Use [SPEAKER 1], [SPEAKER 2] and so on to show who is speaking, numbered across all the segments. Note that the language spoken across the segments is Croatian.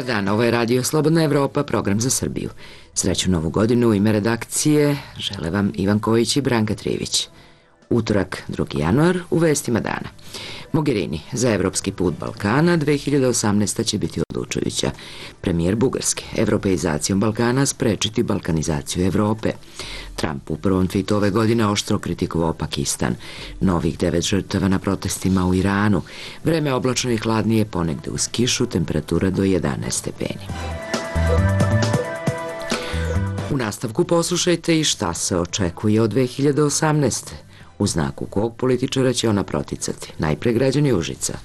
[SPEAKER 1] dan, ovo je Radio Slobodna Evropa, program za Srbiju. Sreću novu godinu, u ime redakcije žele vam Ivan Kojić i Branka Trivić. Utorak, 2. januar, u vestima dana. Mogherini, za evropski put Balkana 2018. će biti odlučujuća. Premijer Bugarske, evropeizacijom Balkana sprečiti balkanizaciju Evrope. Trump u prvom tweetu ove godine oštro kritikovao Pakistan. Novih 9 žrtava na protestima u Iranu. Vreme oblačno i hladnije, ponegde uz kišu, temperatura do 11 stepeni. U nastavku poslušajte i šta se očekuje od 2018. U znaku kog političara će ona proticati? Najpre građani Užica.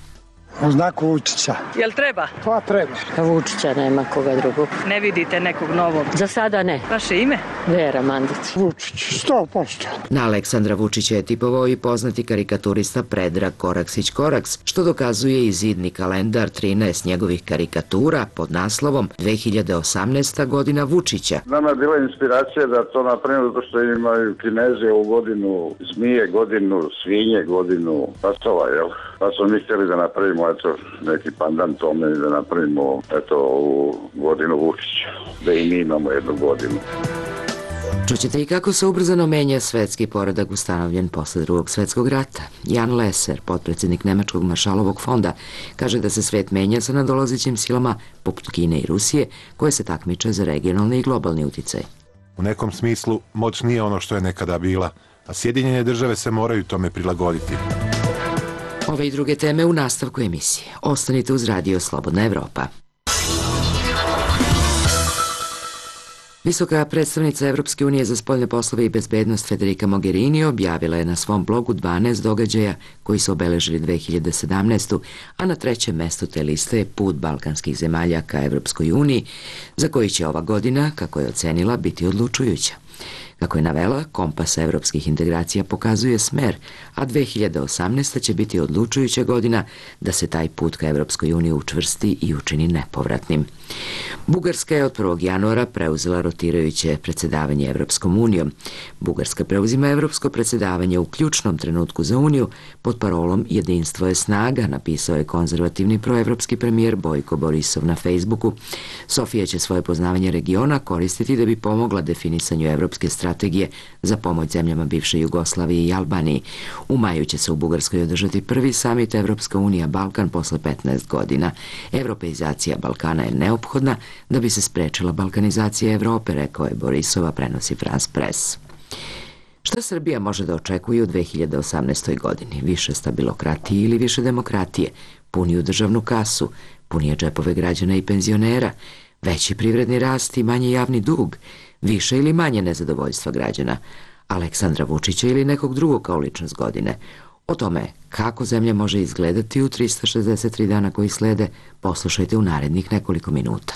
[SPEAKER 2] U znaku Vučića.
[SPEAKER 3] Jel treba?
[SPEAKER 2] Pa treba.
[SPEAKER 4] Vučića, nema koga drugog.
[SPEAKER 3] Ne vidite nekog novog?
[SPEAKER 4] Za sada ne.
[SPEAKER 3] Vaše ime?
[SPEAKER 4] Vera Mandić.
[SPEAKER 2] Vučić, 100%.
[SPEAKER 1] Na Aleksandra Vučića je tipovao i poznati karikaturista Predrag Koraksić-Koraks, što dokazuje i zidni kalendar 13 njegovih karikatura pod naslovom 2018. godina Vučića.
[SPEAKER 5] Nama je bila inspiracija da to napravimo zato što imaju Kinezi u godinu zmije, godinu svinje, godinu pasova, jel? Pa smo mi htjeli da napravimo neki pandan tome i da napravimo ovu godinu Vučića, da i mi imamo jednu godinu.
[SPEAKER 1] Čućete i kako se ubrzano menja svetski poredak ustanovljen posle Drugog svetskog rata. Jan Leser, potpredsjednik Nemačkog maršalovog fonda, kaže da se svet menja sa nadolazećim silama poput Kine i Rusije, koje se takmiče za regionalni i globalni uticaj.
[SPEAKER 6] U nekom smislu moć nije ono što je nekada bila, a Sjedinjene države se moraju tome prilagoditi.
[SPEAKER 1] Ove i druge teme u nastavku emisije. Ostanite uz Radio Slobodna Evropa. Visoka predstavnica Evropske unije za spoljne poslove i bezbednost Federica Mogherini objavila je na svom blogu 12 događaja koji su obeležili 2017. a na trećem mestu te liste je put balkanskih zemalja ka Evropskoj uniji, za koji će ova godina, kako je ocenila, biti odlučujuća. Kako je navela, kompas evropskih integracija pokazuje smer, a 2018. će biti odlučujuća godina da se taj put ka Evropskoj uniji učvrsti i učini nepovratnim. Bugarska je od 1. januara preuzela rotirajuće predsjedavanje Evropskom unijom. Bugarska preuzima evropsko predsjedavanje u ključnom trenutku za uniju pod parolom Jedinstvo je snaga, napisao je konzervativni proevropski premijer Bojko Borisov na Facebooku. Sofija će svoje poznavanje regiona koristiti da bi pomogla definisanju evropske strategije za pomoć zemljama bivše Jugoslavije i Albaniji. U maju će se u Bugarskoj održati prvi samit Evropska unija Balkan posle 15 godina. Evropeizacija Balkana je neophodna da bi se sprečila balkanizacija Evrope, rekao je Borisova, prenosi France Press. Šta Srbija može da očekuje u 2018. godini? Više stabilokratije ili više demokratije? Puniju državnu kasu? Punije džepove građana i penzionera? Veći privredni rast i manji javni dug? Više ili manje nezadovoljstva građana? Aleksandra Vučića ili nekog drugog kao ličnost godine? O tome kako zemlja može izgledati u 363 dana koji slede, poslušajte u narednih nekoliko minuta.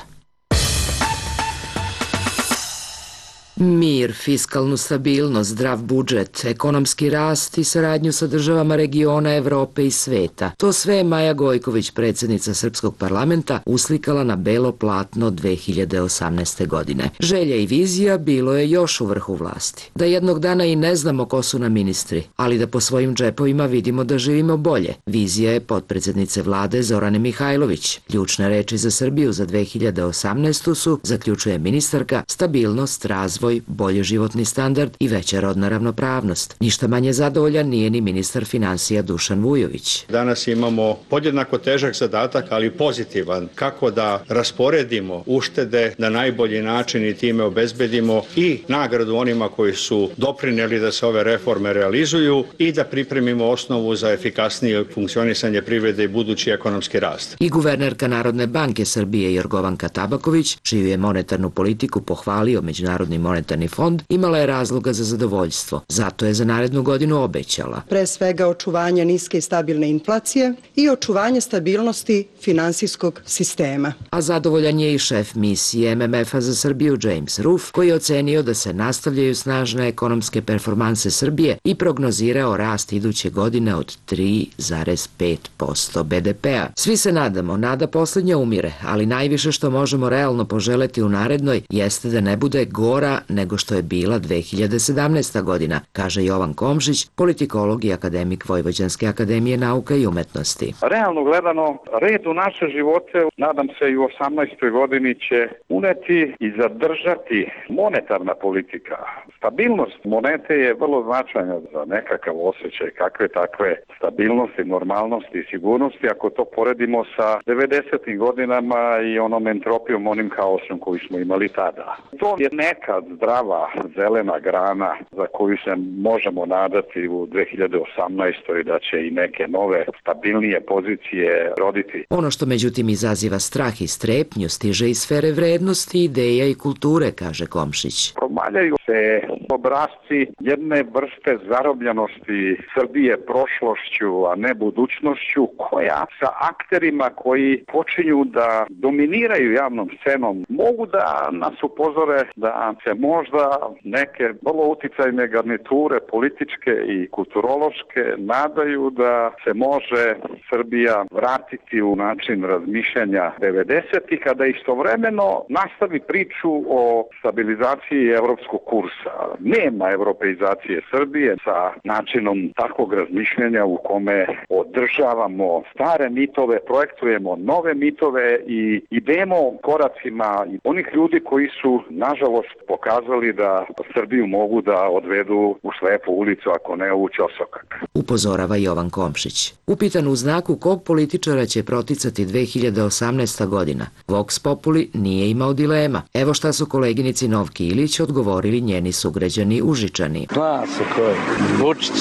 [SPEAKER 1] Mir, fiskalnu stabilnost, zdrav budžet, ekonomski rast i saradnju sa državama regiona, Evrope i sveta. To sve je Maja Gojković, predsjednica Srpskog parlamenta, uslikala na belo platno 2018. godine. Želja i vizija bilo je još u vrhu vlasti. Da jednog dana i ne znamo ko su nam ministri, ali da po svojim džepovima vidimo da živimo bolje. Vizija je potpredsjednice vlade Zorane Mihajlović. Ključne reči za Srbiju za 2018. su, zaključuje ministarka, stabilnost, razvoj, bolji životni standard i veća rodna ravnopravnost. Ništa manje zadovoljan nije ni ministar finansija Dušan Vujović.
[SPEAKER 7] Danas imamo podjednako težak zadatak, ali pozitivan, kako da rasporedimo uštede na najbolji način i time obezbedimo i nagradu onima koji su doprineli da se ove reforme realizuju i da pripremimo osnovu za efikasnije funkcionisanje privrede i budući ekonomski rast.
[SPEAKER 1] I guvernerka Narodne banke Srbije Jorgovanka Tabaković, čiju je monetarnu politiku pohvalio Međunarodni monetarni fond, imala je razloga za zadovoljstvo. Zato je za narednu godinu obećala.
[SPEAKER 8] Pre svega očuvanje niske i stabilne inflacije i očuvanje stabilnosti finansijskog sistema.
[SPEAKER 1] A zadovoljan je i šef misije MMF-a za Srbiju James Roof, koji je ocenio da se nastavljaju snažne ekonomske performanse Srbije i prognozirao rast iduće godine od 3,5% BDP-a. Svi se nadamo, nada posljednja umire, ali najviše što možemo realno poželeti u narednoj jeste da ne bude gora nego što je bila 2017. godina, kaže Jovan Komšić, politikolog i akademik Vojvođanske akademije nauka i umetnosti.
[SPEAKER 3] Realno gledano, red u naše živote, nadam se i u 18. godini će uneti i zadržati monetarna politika. Stabilnost monete je vrlo značajna za nekakav osjećaj kakve takve stabilnosti, normalnosti i sigurnosti ako to poredimo sa 90. godinama i onom entropijom, onim haosom koji smo imali tada. To je neka zdrava zelena grana za koju se možemo nadati u 2018. da će i neke nove stabilnije pozicije roditi.
[SPEAKER 1] Ono što međutim izaziva strah i strepnju stiže iz sfere vrednosti, ideja i kulture, kaže Komšić.
[SPEAKER 3] Promaljaju se obrasci jedne vrste zarobljenosti Srbije prošlošću, a ne budućnošću, koja sa akterima koji počinju da dominiraju javnom scenom mogu da nas upozore da se možda neke vrlo uticajne garniture političke i kulturološke nadaju da se može Srbija vratiti u način razmišljanja 90-ih, kada istovremeno nastavi priču o stabilizaciji evropskog kursa. Nema evropeizacije Srbije sa načinom takvog razmišljanja u kome održavamo stare mitove, projektujemo nove mitove i idemo koracima onih ljudi koji su, nažalost, pokazali da Srbiju mogu da odvedu u slepu ulicu, ako ne u ćosokak.
[SPEAKER 1] Upozorava Jovan Komšić. Upitan u znaku kog političara će proticati 2018. godina, Vox Populi nije imao dilema. Evo šta su koleginici Novki Ilić odgovorili njeni sugrađani Užičani.
[SPEAKER 9] Zna se ko je. Vučić.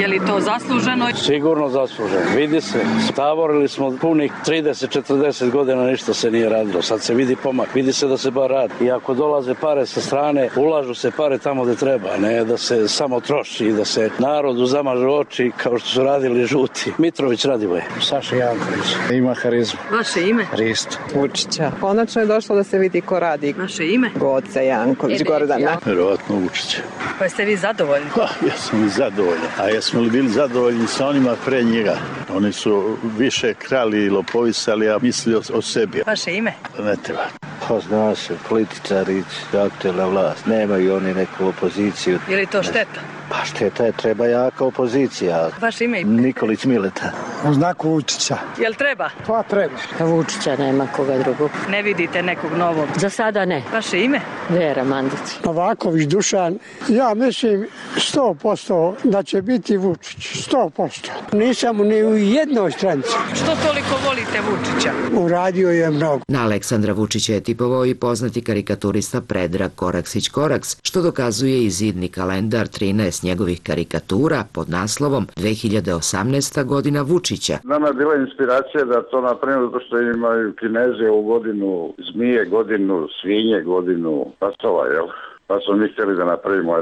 [SPEAKER 10] Je li to zasluženo?
[SPEAKER 9] Sigurno zasluženo. Vidi se. Tavorili smo punih 30-40 godina, ništa se nije radilo. Sad se vidi pomak. Vidi se da se bar radi. I ako dolaze pare sa strane, ulažu se pare tamo gde treba, ne da se samo troši i da se narodu zamažu oči kao što su radili žuti. Mitrović Radivoje.
[SPEAKER 11] Saša Janković. Ima harizmu.
[SPEAKER 10] Vaše ime?
[SPEAKER 11] Risto.
[SPEAKER 12] Vučića. Konačno je došlo da se vidi ko radi.
[SPEAKER 10] Vaše ime?
[SPEAKER 12] Goca Janković, Gordana.
[SPEAKER 11] Verovatno Vučića.
[SPEAKER 10] Pa ste vi zadovoljni?
[SPEAKER 11] Ja sam i zadovoljan. A jesmo li bili zadovoljni sa onima pre njega? Oni su više krali i lopovisali, a mislili o sebi.
[SPEAKER 10] Vaše ime?
[SPEAKER 11] Ne treba.
[SPEAKER 13] Pa zna se, političari, aktuelna vlast, nemaju oni neku opoziciju.
[SPEAKER 10] Je li to šteta?
[SPEAKER 13] Pa šteta je, treba jaka opozicija.
[SPEAKER 10] Vaše ime?
[SPEAKER 13] Nikolić Mileta.
[SPEAKER 2] U znaku Vučića.
[SPEAKER 10] Jel treba?
[SPEAKER 2] Pa treba.
[SPEAKER 4] Vučića, nema koga drugog.
[SPEAKER 10] Ne vidite nekog novog?
[SPEAKER 4] Za sada ne.
[SPEAKER 10] Vaše ime?
[SPEAKER 4] Vera Mandić.
[SPEAKER 2] Novaković Dušan. Ja mislim 100% da će biti Vučić. 100%. Nisam ni u jednoj stranci.
[SPEAKER 10] Što toliko volite Vučića?
[SPEAKER 2] Uradio je mnogo.
[SPEAKER 1] Na Aleksandra Vučića je tipovao i poznati karikaturista Predrag Koraksić-Koraks, što dokazuje i zidni kalendar 13 njegovih karikatura pod naslovom 2018. godina Vučića.
[SPEAKER 5] Nama je bila inspiracija da to napravimo zato što imaju Kinezi u godinu zmije, godinu svinje, godinu pasova, jel? Pa smo mi htjeli da napravimo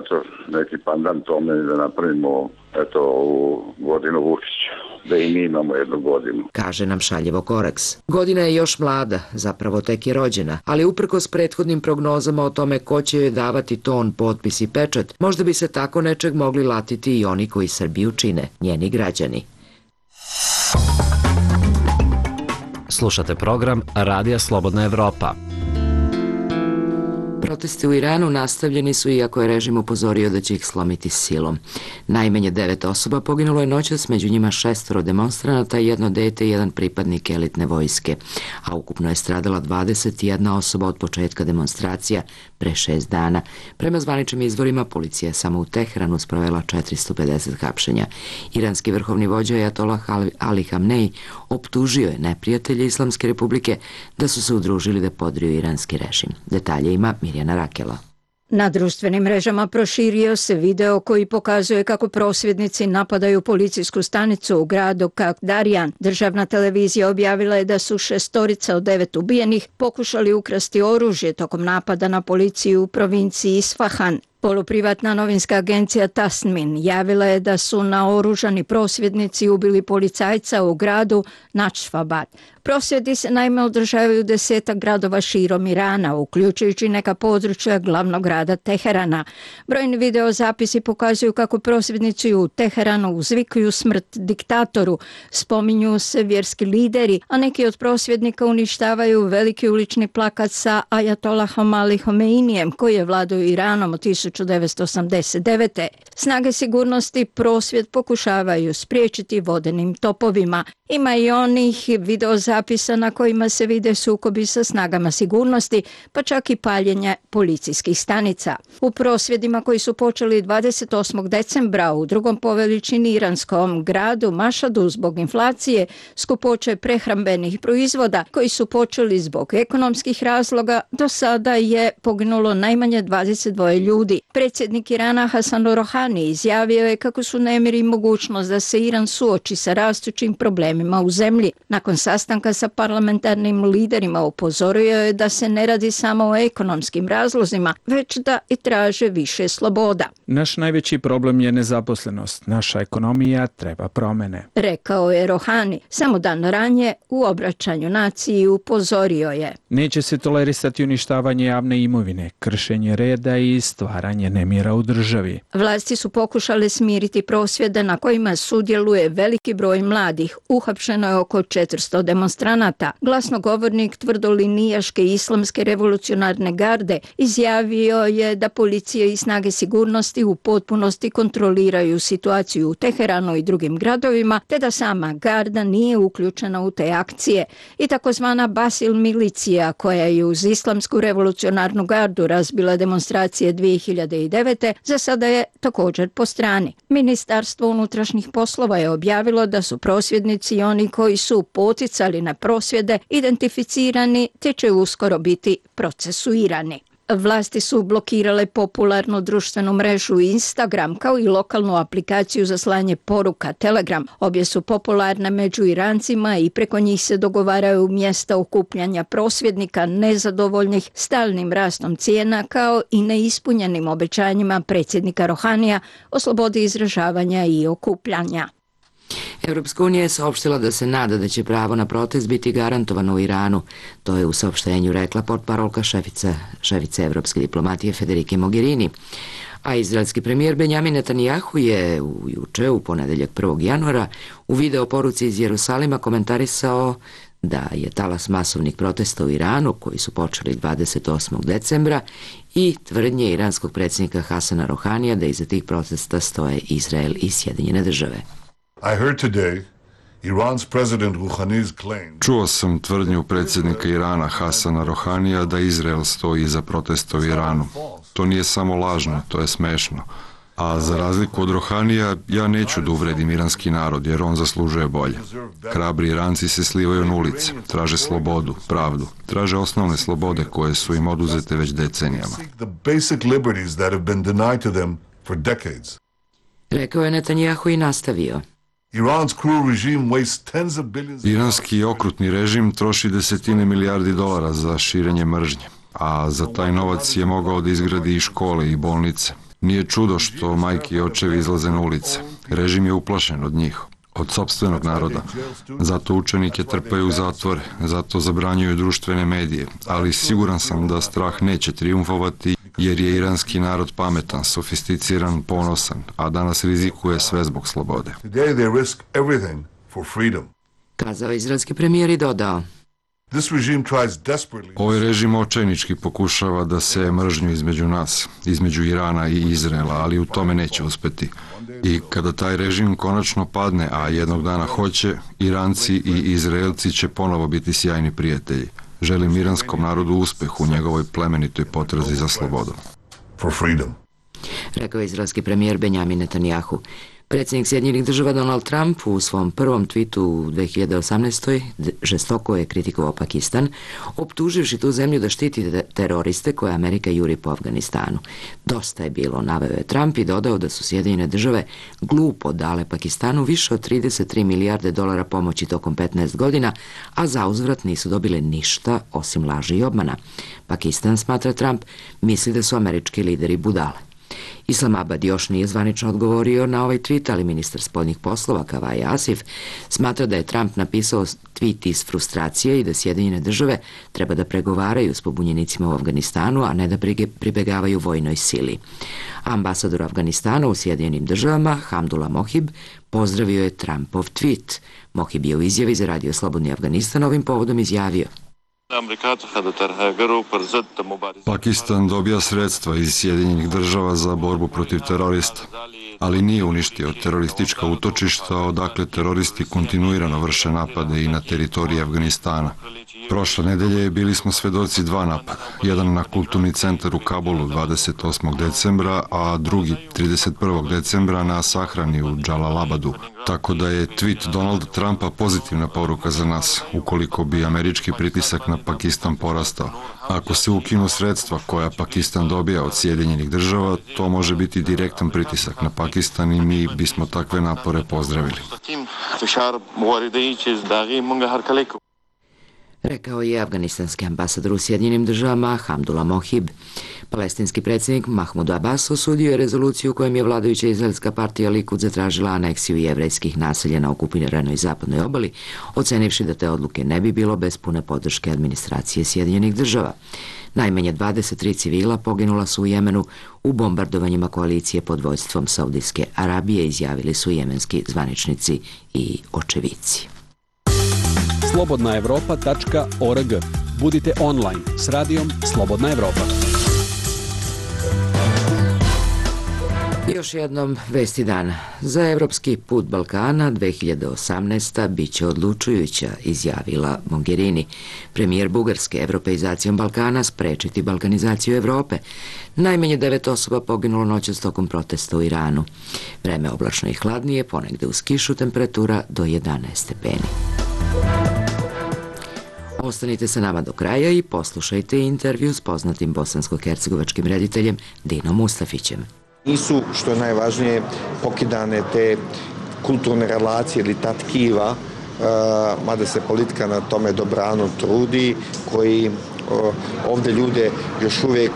[SPEAKER 5] neki pandan tome i da napravimo u godinu Vučića, da i mi imamo jednu godinu.
[SPEAKER 1] Kaže nam šaljevo Koraks. Godina je još mlada, zapravo tek je rođena, ali uprkos prethodnim prognozama o tome ko će joj davati ton, potpis i pečat, možda bi se tako nečeg mogli latiti i oni koji Srbiju čine, njeni građani.
[SPEAKER 14] Slušate program Radija Slobodna Evropa.
[SPEAKER 1] Protesti u Iranu nastavljeni su iako je režim upozorio da će ih slomiti silom. Najmanje 9 osoba poginulo je noćas, među njima 6 demonstranata, 1 dete i 1 pripadnik elitne vojske, a ukupno je stradala 21 osoba od početka demonstracija pre 6 dana. Prema zvaničnim izvorima, policija je samo u Teheranu sprovela 450 hapšenja. Iranski vrhovni vođa Ajatolah Ali Hamnej optužio je neprijatelje Islamske republike da su se udružili da podriju iranski režim. Detalje ima Mirjana Rakela.
[SPEAKER 15] Na društvenim mrežama proširio se video koji pokazuje kako prosvjednici napadaju policijsku stanicu u gradu Kakdarjan. Državna televizija objavila je da su 6 od 9 ubijenih pokušali ukrasti oružje tokom napada na policiju u provinciji Isfahan. Poluprivatna novinska agencija Tasmin javila je da su naoružani prosvjednici ubili policajca u gradu Načfabad. Prosvjedi se naime održavaju 10 gradova širom Irana, uključujući neka područja glavnog grada Teherana. Brojni videozapisi pokazuju kako prosvjednici u Teheranu uzvikuju smrt diktatoru, spominju se vjerski lideri, a neki od prosvjednika uništavaju veliki ulični plakat sa Ajatolahom Ali Homeinijem, koji je vladao Iranom od 1989. Snage sigurnosti prosvjed pokušavaju spriječiti vodenim topovima. Ima i onih videozapisa na kojima se vide sukobi sa snagama sigurnosti, pa čak i paljenje policijskih stanica. U prosvjedima koji su počeli 28. decembra u drugom po veličini iranskom gradu Mašadu zbog inflacije, skupoće prehrambenih proizvoda koji su počeli zbog ekonomskih razloga, do sada je poginulo najmanje 22 ljudi. Predsjednik Irana Hasan Rohani izjavio je kako su nemiri i mogućnost da se Iran suoči sa rastućim problemima u zemlji. Nakon sastanka sa parlamentarnim liderima upozorio je da se ne radi samo o ekonomskim razlozima, već da i traže više sloboda.
[SPEAKER 16] Naš najveći problem je nezaposlenost. Naša ekonomija treba promjene,
[SPEAKER 15] rekao je Rohani. Samo dan ranije u obraćanju naciji upozorio je:
[SPEAKER 16] neće se tolerisati uništavanje javne imovine, kršenje reda i stvaranje nemira u državi.
[SPEAKER 15] Vlasti su pokušale smiriti prosvjede na kojima sudjeluje veliki broj mladih. Uhapšeno je oko 400 demonstranata. Glasnogovornik tvrdolinijaške islamske revolucionarne garde izjavio je da policija i snage sigurnosti u potpunosti kontroliraju situaciju u Teheranu i drugim gradovima, te da sama garda nije uključena u te akcije. I takozvana Basil milicija, koja je uz islamsku revolucionarnu gardu razbila demonstracije 2009. za sada je također po strani. Ministarstvo unutrašnjih poslova je objavilo da su prosvjednici i oni koji su poticali na prosvjede identificirani te će uskoro biti procesuirani. Vlasti su blokirale popularnu društvenu mrežu Instagram kao i lokalnu aplikaciju za slanje poruka Telegram. Obje su popularne među Irancima i preko njih se dogovaraju mjesta okupljanja prosvjednika nezadovoljnih stalnim rastom cijena kao i neispunjenim obećanjima predsjednika Rohanija o slobodi izražavanja i okupljanja.
[SPEAKER 1] Europska unija je saopštila da se nada da će pravo na protest biti garantovano u Iranu. To je u saopštenju rekla portparolka šefice evropske diplomatije Federike Mogherini. A izraelski premijer Benjamin Netanjahu je juče, u ponedeljak 1. januara, u video poruci iz Jerusalima komentarisao da je talas masovnih protesta u Iranu, koji su počeli 28. decembra, i tvrdnje iranskog predsjednika Hasana Rohanija da iza tih protesta stoje Izrael i Sjedinjene države.
[SPEAKER 17] Čuo sam tvrdnju predsjednika Irana Hasana Rohanija da Izrael stoji iza protesta u Iranu. To nije samo lažno, to je smešno. A za razliku od Rohanija, ja neću da uvredim iranski narod, jer on zaslužuje bolje. Hrabri Iranci se slivaju na ulice, traže slobodu, pravdu, traže osnovne slobode koje su im oduzete već decenijama.
[SPEAKER 1] Rekao je Netanjahu i nastavio:
[SPEAKER 17] Iranski okrutni režim troši desetine milijardi dolara za širenje mržnje, a za taj novac je mogao da izgradi i škole i bolnice. Nije čudo što majke i očevi izlaze na ulice. Režim je uplašen od njih, od sopstvenog naroda. Zato učenike trpaju u zatvore, zato zabranjuju društvene medije, ali siguran sam da strah neće trijumfovati, jer je iranski narod pametan, sofisticiran, ponosan, a danas rizikuje sve zbog slobode.
[SPEAKER 1] Kazao izraelski premijer i dodao:
[SPEAKER 17] Ovaj režim očajnički pokušava da seje mržnju između nas, između Irana i Izraela, ali u tome neće uspeti. I kada taj režim konačno padne, a jednog dana hoće, Iranci i Izraelci će ponovo biti sjajni prijatelji. Želim iranskom narodu uspeh u njegovoj plemenitoj potrazi za slobodom.
[SPEAKER 1] Rekao je izraelski premijer Benjamin Netanjahu. Predsjednik Sjedinjenih država Donald Trump u svom prvom twitu u 2018. žestoko je kritikovao Pakistan, optuživši tu zemlju da štiti teroriste koje Amerika juri po Afganistanu. Dosta je bilo, naveo je Trump i dodao da su Sjedinjene države glupo dale Pakistanu više od 33 milijarde dolara pomoći tokom 15 godina, a zauzvrat nisu dobile ništa osim laži i obmana. Pakistan, smatra Trump, misli da su američki lideri budale. Islamabad još nije zvanično odgovorio na ovaj tweet, ali ministar spoljnih poslova Kavaja Asif smatra da je Trump napisao tweet iz frustracije i da Sjedinjene države treba da pregovaraju s pobunjenicima u Afganistanu, a ne da pribegavaju vojnoj sili. Ambasador Afganistana u Sjedinjenim državama, Hamdullah Mohib, pozdravio je Trumpov tweet. Mohib je u izjavi za Radio Slobodni Afganistan ovim povodom izjavio:
[SPEAKER 17] Pakistan dobija sredstva iz Sjedinjenih država za borbu protiv terorista, ali nije uništio teroristička utočišta odakle teroristi kontinuirano vrše napade i na teritoriji Afganistana. Prošle nedelje bili smo svedoci 2 napada, jedan na kulturni centar u Kabulu 28. decembra, a drugi 31. decembra na sahrani u Džalalabadu. Tako da je tweet Donalda Trumpa pozitivna poruka za nas, ukoliko bi američki pritisak na Pakistan porastao. Ako se ukinu sredstva koja Pakistan dobija od Sjedinjenih država, to može biti direktan pritisak na Pakistan i mi bismo takve napore pozdravili.
[SPEAKER 1] Rekao je afganistanski ambasador u Sjedinjenim državama Hamdullah Mohib. Palestinski predsjednik Mahmud Abbas osudio je rezoluciju kojom je vladajuća izraelska partija Likud zatražila aneksiju jevrejskih naselja na okupiranoj zapadnoj obali, ocenivši da te odluke ne bi bilo bez pune podrške administracije Sjedinjenih država. Najmanje 23 civila poginula su u Jemenu u bombardovanjima koalicije pod vođstvom Saudijske Arabije, izjavili su jemenski zvaničnici i očevici.
[SPEAKER 18] slobodnaevropa.org. Budite online s radijom Slobodna Evropa.
[SPEAKER 1] Još jednom vesti dana. Za evropski put Balkana 2018. bit će odlučujuća, izjavila Mogherini. Premijer Bugarske evropeizacijom Balkana sprečiti balkanizaciju Evrope. Najmanje 9 osoba poginulo noćas tokom protesta u Iranu. Vreme oblačno i hladnije, ponegde uz kišu, temperatura do 11 stepeni. Ostanite sa nama do kraja i poslušajte intervju s poznatim bosansko-hercegovačkim rediteljem Dinom Mustafićem.
[SPEAKER 19] Nisu, što je najvažnije, pokidane te kulturne relacije ili ta tkiva, mada se politika na tome dobrano trudi, koji ovdje ljude još uvijek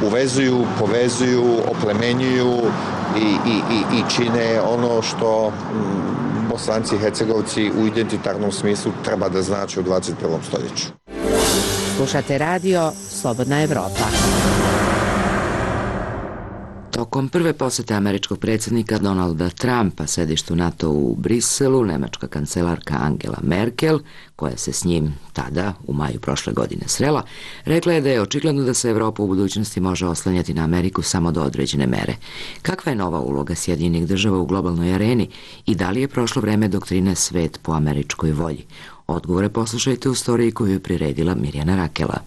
[SPEAKER 19] uvezuju, povezuju, oplemenjuju i čine ono što Bosanci i Hercegovci u identitarnom smislu treba da znači u 21. stoljeću.
[SPEAKER 20] Slušate radio Slobodna Evropa.
[SPEAKER 1] Tokom prve posete američkog predsjednika Donalda Trumpa sedištu NATO u Briselu, nemačka kancelarka Angela Merkel, koja se s njim tada, u maju prošle godine, srela, rekla je da je očigledno da se Evropa u budućnosti može oslanjati na Ameriku samo do određene mere. Kakva je nova uloga Sjedinjenih država u globalnoj areni i da li je prošlo vreme doktrine svet po američkoj volji? Odgovore poslušajte u storiji koju je priredila Mirjana Rakela.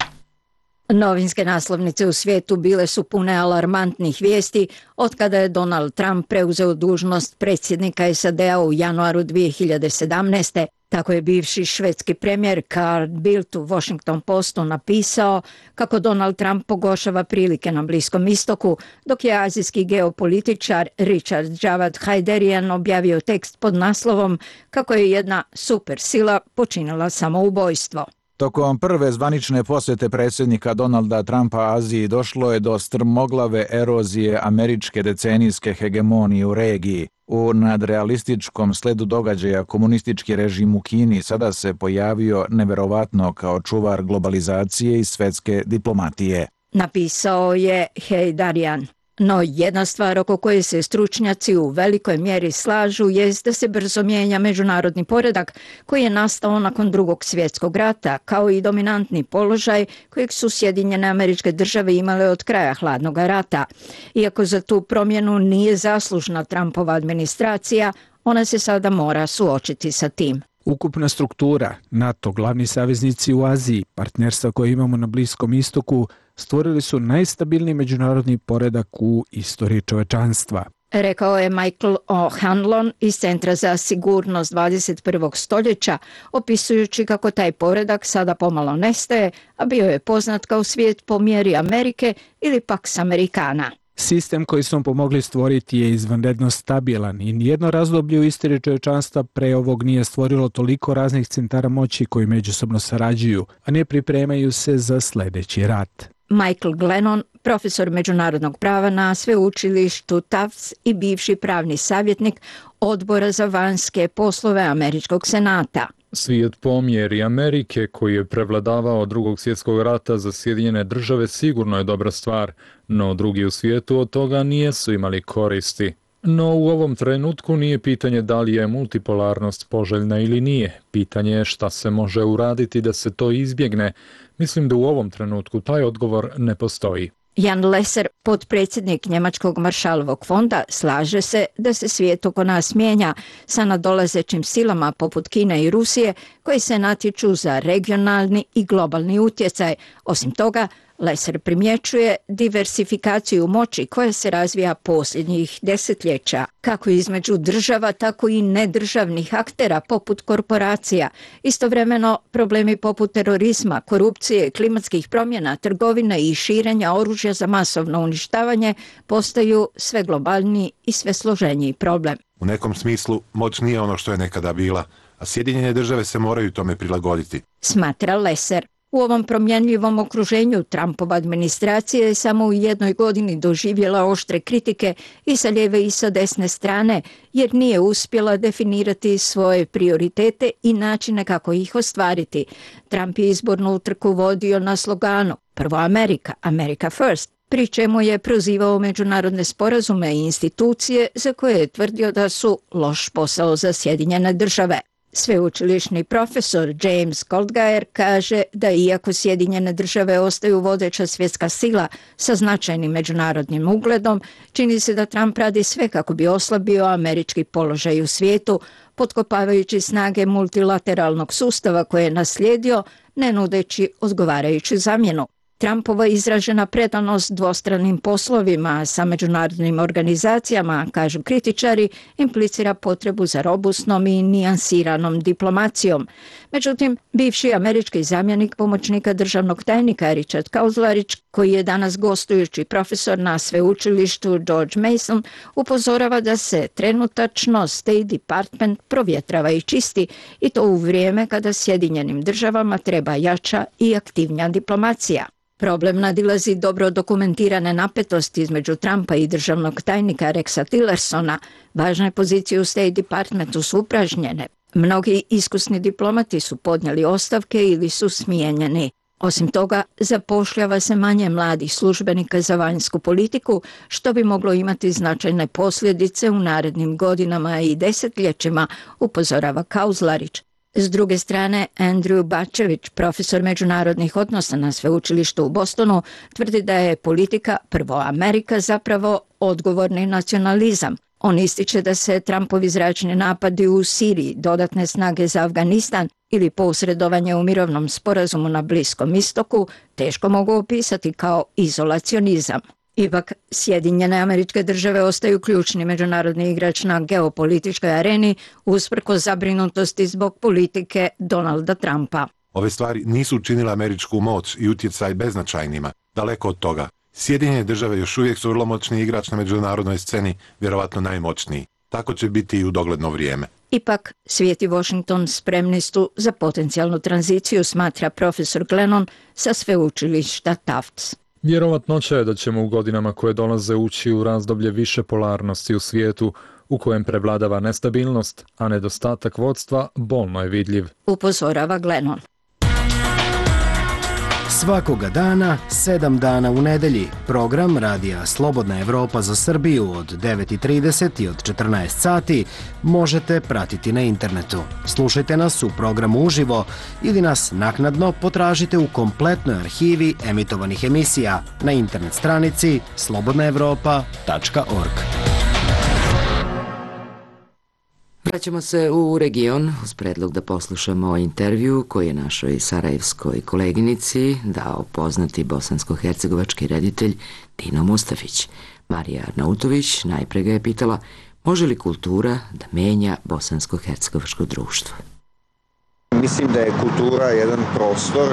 [SPEAKER 15] Novinske naslovnice u svijetu bile su pune alarmantnih vijesti od kada je Donald Trump preuzeo dužnost predsjednika SAD-a u januaru 2017. Tako je bivši švedski premijer Carl Bildt u Washington Postu napisao kako Donald Trump pogoršava prilike na Bliskom istoku, dok je azijski geopolitičar Richard Javad Haiderian objavio tekst pod naslovom kako je jedna supersila počinila samoubojstvo.
[SPEAKER 21] Tokom prve zvanične posjete predsjednika Donalda Trumpa Aziji došlo je do strmoglave erozije američke decenijske hegemonije u regiji. U nadrealističkom sledu događaja komunistički režim u Kini sada se pojavio neverovatno kao čuvar globalizacije i svetske diplomatije.
[SPEAKER 15] Napisao je Haiderian. No jedna stvar oko koje se stručnjaci u velikoj mjeri slažu jest da se brzo mijenja međunarodni poredak koji je nastao nakon Drugog svjetskog rata, kao i dominantni položaj kojeg su Sjedinjene Američke Države imale od kraja Hladnog rata. Iako za tu promjenu nije zaslužna Trumpova administracija, ona se sada mora suočiti sa tim.
[SPEAKER 16] Ukupna struktura, NATO, glavni saveznici u Aziji, partnerstva koje imamo na Bliskom istoku, stvorili su najstabilniji međunarodni poredak u istoriji čovečanstva.
[SPEAKER 15] Rekao je Michael O'Hanlon iz Centra za sigurnost 21. stoljeća, opisujući kako taj poredak sada pomalo nestaje, a bio je poznat kao svijet po mjeri Amerike ili Pax Americana.
[SPEAKER 16] Sistem koji smo pomogli stvoriti je izvanredno stabilan i nijedno razdoblje u istoriji čovječanstva pre ovog nije stvorilo toliko raznih centara moći koji međusobno sarađuju, a ne pripremaju se za sljedeći rat.
[SPEAKER 15] Michael Glennon, profesor međunarodnog prava na sveučilištu Tufts i bivši pravni savjetnik Odbora za vanjske poslove Američkog senata.
[SPEAKER 6] Svijet po mjeri Amerike, koji je prevladavao Drugog svjetskog rata za Sjedinjene države, sigurno je dobra stvar, no drugi u svijetu od toga nijesu imali koristi. No u ovom trenutku nije pitanje da li je multipolarnost poželjna ili nije. Pitanje je šta se može uraditi da se to izbjegne. Mislim da u ovom trenutku taj odgovor ne postoji.
[SPEAKER 15] Jan Lesser, potpredsjednik Njemačkog Maršalovog fonda, slaže se da se svijet oko nas mijenja sa nadolazećim silama poput Kine i Rusije koji se natječu za regionalni i globalni utjecaj. Osim toga, Lesser primjećuje diversifikaciju moći koja se razvija posljednjih desetljeća, kako između država, tako i nedržavnih aktera poput korporacija. Istovremeno, problemi poput terorizma, korupcije, klimatskih promjena, trgovine i širenja oružja za masovno uništavanje postaju sve globalniji i sve složeniji problem.
[SPEAKER 22] U nekom smislu, moć nije ono što je nekada bila, a Sjedinjene države se moraju tome prilagoditi,
[SPEAKER 15] smatra Lesser. U ovom promjenljivom okruženju Trumpova administracija je samo u jednoj godini doživjela oštre kritike i sa lijeve i sa desne strane, jer nije uspjela definirati svoje prioritete i načine kako ih ostvariti. Trump je izbornu utrku vodio na sloganu "Prvo Amerika, America First", pri čemu je prozivao međunarodne sporazume i institucije za koje je tvrdio da su loš posao za Sjedinjene države. Sveučilišni profesor James Goldgeier kaže da iako Sjedinjene države ostaju vodeća svjetska sila sa značajnim međunarodnim ugledom, čini se da Trump radi sve kako bi oslabio američki položaj u svijetu, potkopavajući snage multilateralnog sustava koje je naslijedio, ne nudeći odgovarajuću zamjenu. Trumpova izražena predanost dvostranim poslovima sa međunarodnim organizacijama, kažu kritičari, implicira potrebu za robustnom i nijansiranom diplomacijom. Međutim, bivši američki zamjenik pomoćnika državnog tajnika Richard Kauzlarić, koji je danas gostujući profesor na sveučilištu George Mason, upozorava da se trenutačno State Department provjetrava i čisti, i to u vrijeme kada Sjedinjenim državama treba jača i aktivnija diplomacija. Problem nadilazi dobro dokumentirane napetosti između Trumpa i državnog tajnika Rexa Tillersona. Važne pozicije u State Departmentu su upražnjene. Mnogi iskusni diplomati su podnijeli ostavke ili su smijenjeni. Osim toga, zapošljava se manje mladih službenika za vanjsku politiku, što bi moglo imati značajne posljedice u narednim godinama i desetljećima, upozorava Kauzlarić. S druge strane, Andrew Bačević, profesor međunarodnih odnosa na sveučilištu u Bostonu, tvrdi da je politika "Prvo Amerika" zapravo odgovorni nacionalizam. On ističe da se Trumpovi zračni napadi u Siriji, dodatne snage za Afganistan ili posredovanje u mirovnom sporazumu na Bliskom istoku teško mogu opisati kao izolacionizam. Ipak, Sjedinjene Američke Države ostaju ključni međunarodni igrač na geopolitičkoj areni usprkos zabrinutosti zbog politike Donalda Trumpa.
[SPEAKER 22] Ove stvari nisu učinile američku moć i utjecaj beznačajnima, daleko od toga. Sjedinjene države još uvijek su vrlo moćni igrač na međunarodnoj sceni, vjerovatno najmoćniji. Tako će biti i u dogledno vrijeme.
[SPEAKER 15] Ipak, svijet i Washington spremni su za potencijalnu tranziciju, smatra profesor Glennon sa sveučilišta Tufts.
[SPEAKER 6] Vjerovatnoća je da ćemo u godinama koje dolaze ući u razdoblje više polarnosti u svijetu, u kojem prevladava nestabilnost, a nedostatak vodstva bolno je vidljiv,
[SPEAKER 15] upozorava Glennon.
[SPEAKER 23] Svakoga dana, 7 dana u nedelji, program Radija Slobodna Evropa za Srbiju od 9:30 i od 14 sati možete pratiti na internetu. Slušajte nas u programu uživo ili nas naknadno potražite u kompletnoj arhivi emitovanih emisija na internet stranici slobodnaevropa.org.
[SPEAKER 1] Vraćamo se u region uz predlog da poslušamo intervju koji je našoj sarajevskoj koleginici dao poznati bosansko-hercegovački reditelj Dino Mustafić. Marija Arnautović najpre ga je pitala može li kultura da menja bosansko-hercegovačko društvo.
[SPEAKER 19] Mislim da je kultura jedan prostor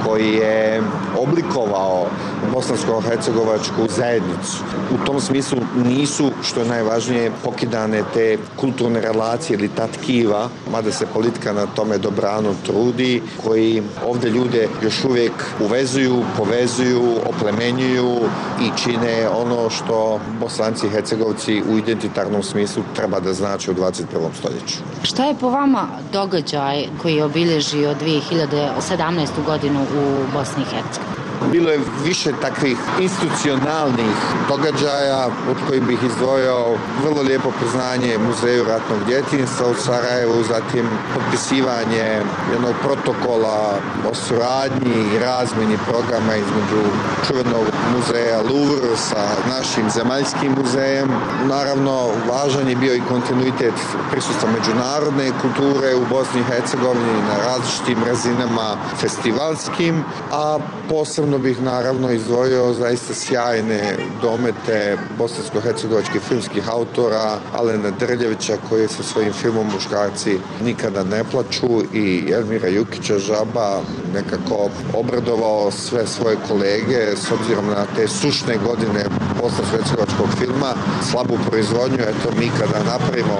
[SPEAKER 19] koji je oblikovao bosansko-hercegovačku zajednicu. U tom smislu nisu, što je najvažnije, pokidane te kulturne relacije ili ta tkiva, mada se politika na tome dobrano trudi, koji ovdje ljude još uvijek uvezuju, povezuju, oplemenjuju i čine ono što Bosanci i Hercegovci u identitarnom smislu treba da znači u 21. stoljeću.
[SPEAKER 3] Šta je po vama događaj koji je obilježio 2017. godinu u Bosni i Hercegovini?
[SPEAKER 19] Bilo je više takvih institucionalnih događaja od kojih bih izdvojio vrlo lijepo priznanje Muzeju ratnog djetinjstva u Sarajevu, zatim potpisivanje jednog protokola o suradnji i razmjeni programa između čuvenog muzeja Louvre sa našim zemaljskim muzejem. Naravno, važan je bio i kontinuitet prisustva međunarodne kulture u Bosni i Hercegovini na različitim razinama festivalskim, a posebno bih naravno izdvojio zaista sjajne domete bosansko-hercegovačkih filmskih autora Alena Drljevića koji sa svojim filmom Muškarci nikada ne plaču i Elmira Jukića Žaba nekako obradovao sve svoje kolege s obzirom na te sušne godine bosansko-hercegovačkog filma, slabu proizvodnju, eto mi kada napravimo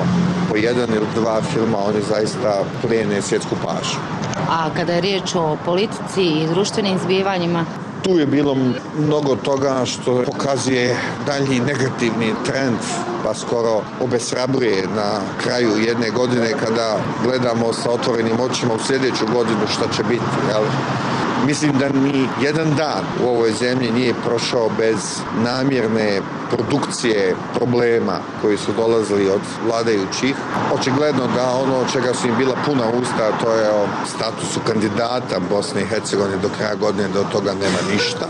[SPEAKER 19] po jedan ili dva filma oni zaista plijene svjetsku pažnju.
[SPEAKER 3] A kada je riječ o politici i društvenim zbivanjima?
[SPEAKER 19] Tu je bilo mnogo toga što pokazuje dalji negativni trend, pa skoro obeshrabruje na kraju jedne godine kada gledamo sa otvorenim očima u sljedeću godinu šta će biti. Jel? Mislim da ni jedan dan u ovoj zemlji nije prošao bez namjerne produkcije problema koji su dolazili od vladajućih. Očigledno da ono čega su im bila puna usta, to je o statusu kandidata Bosne i Hercegovine do kraja godine, do toga nema ništa.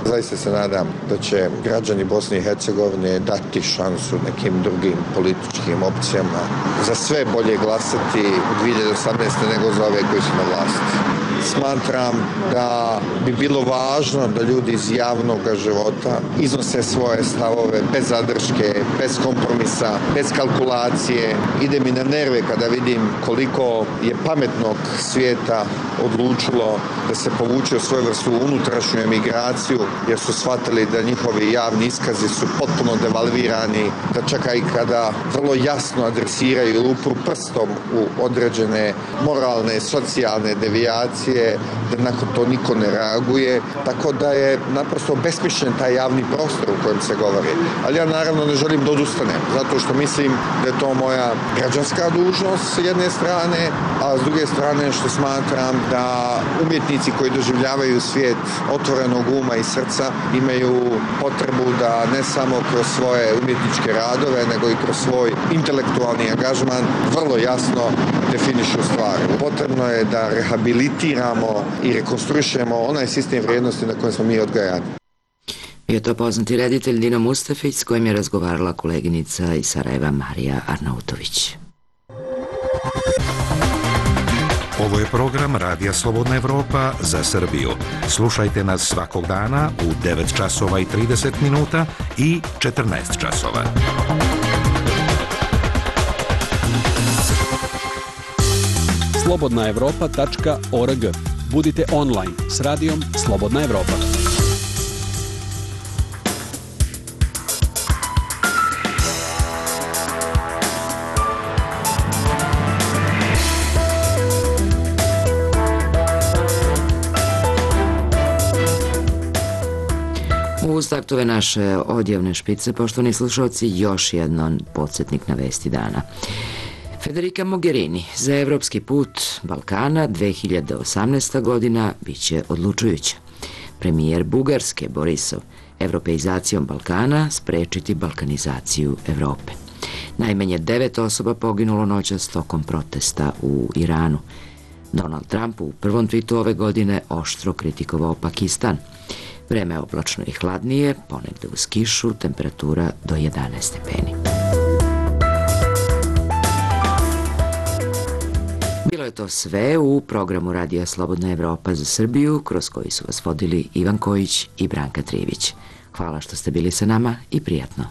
[SPEAKER 19] Zaista se nadam da će građani Bosne i Hercegovine dati šansu nekim drugim političkim opcijama. Za sve bolje glasati u 2018. nego za ove koji su na vlasti. Smatram da bi bilo važno da ljudi iz javnog života iznose svoje stavove bez zadrške, bez kompromisa, bez kalkulacije. Ide mi na nerve kada vidim koliko je pametnog svijeta odlučilo da se povuče u svoju vrstu unutrašnju emigraciju jer su shvatili da njihovi javni iskazi su potpuno devalvirani, da čak i kada vrlo jasno adresiraju ili upru prstom u određene moralne, socijalne devijacije, da nakon to niko ne reaguje, tako da je naprosto besmišljen taj javni prostor u kojem se govori. Ali ja naravno ne želim da odustanem, zato što mislim da je to moja građanska dužnost s jedne strane, a s druge strane što smatram da umjetnici koji doživljavaju svijet otvorenog uma i srca imaju potrebu da ne samo kroz svoje umjetničke radove, nego i kroz svoj intelektualni angažman vrlo jasno definišu stvari. Potrebno je da rehabilitiramo i rekonstruišemo onaj sistem vrijednosti na kojem smo mi odgajani.
[SPEAKER 1] Bio to poznati reditelj Dino Mustafić s kojim je razgovarala koleginica iz Sarajeva Marija Arnautović.
[SPEAKER 7] Ovo je program Radija Slobodna Evropa za Srbiju. Slušajte nas svakog dana u 9 časova i 30 minuta i 14 časova.
[SPEAKER 18] slobodnaevropa.org. Budite online s radijom Slobodna Evropa.
[SPEAKER 1] Uz taktove naše odjavne špice, poštovani slušalci, još jedan podsjetnik na vesti dana. Federica Mogherini za evropski put Balkana 2018. godina biće odlučujuća. Premijer Bugarske Borisov evropeizacijom Balkana sprečiti balkanizaciju Evrope. Najmanje 9 osoba poginulo noćas tokom protesta u Iranu. Donald Trump u prvom twitu ove godine oštro kritikovao Pakistan. Vreme je oblačno i hladnije, ponegde uz kišu, temperatura do 11 stepeni. Bilo je to sve u programu Radija Slobodna Evropa za Srbiju, kroz koji su vas vodili Ivan Kojić i Branka Trivić. Hvala što ste bili sa nama i prijatno.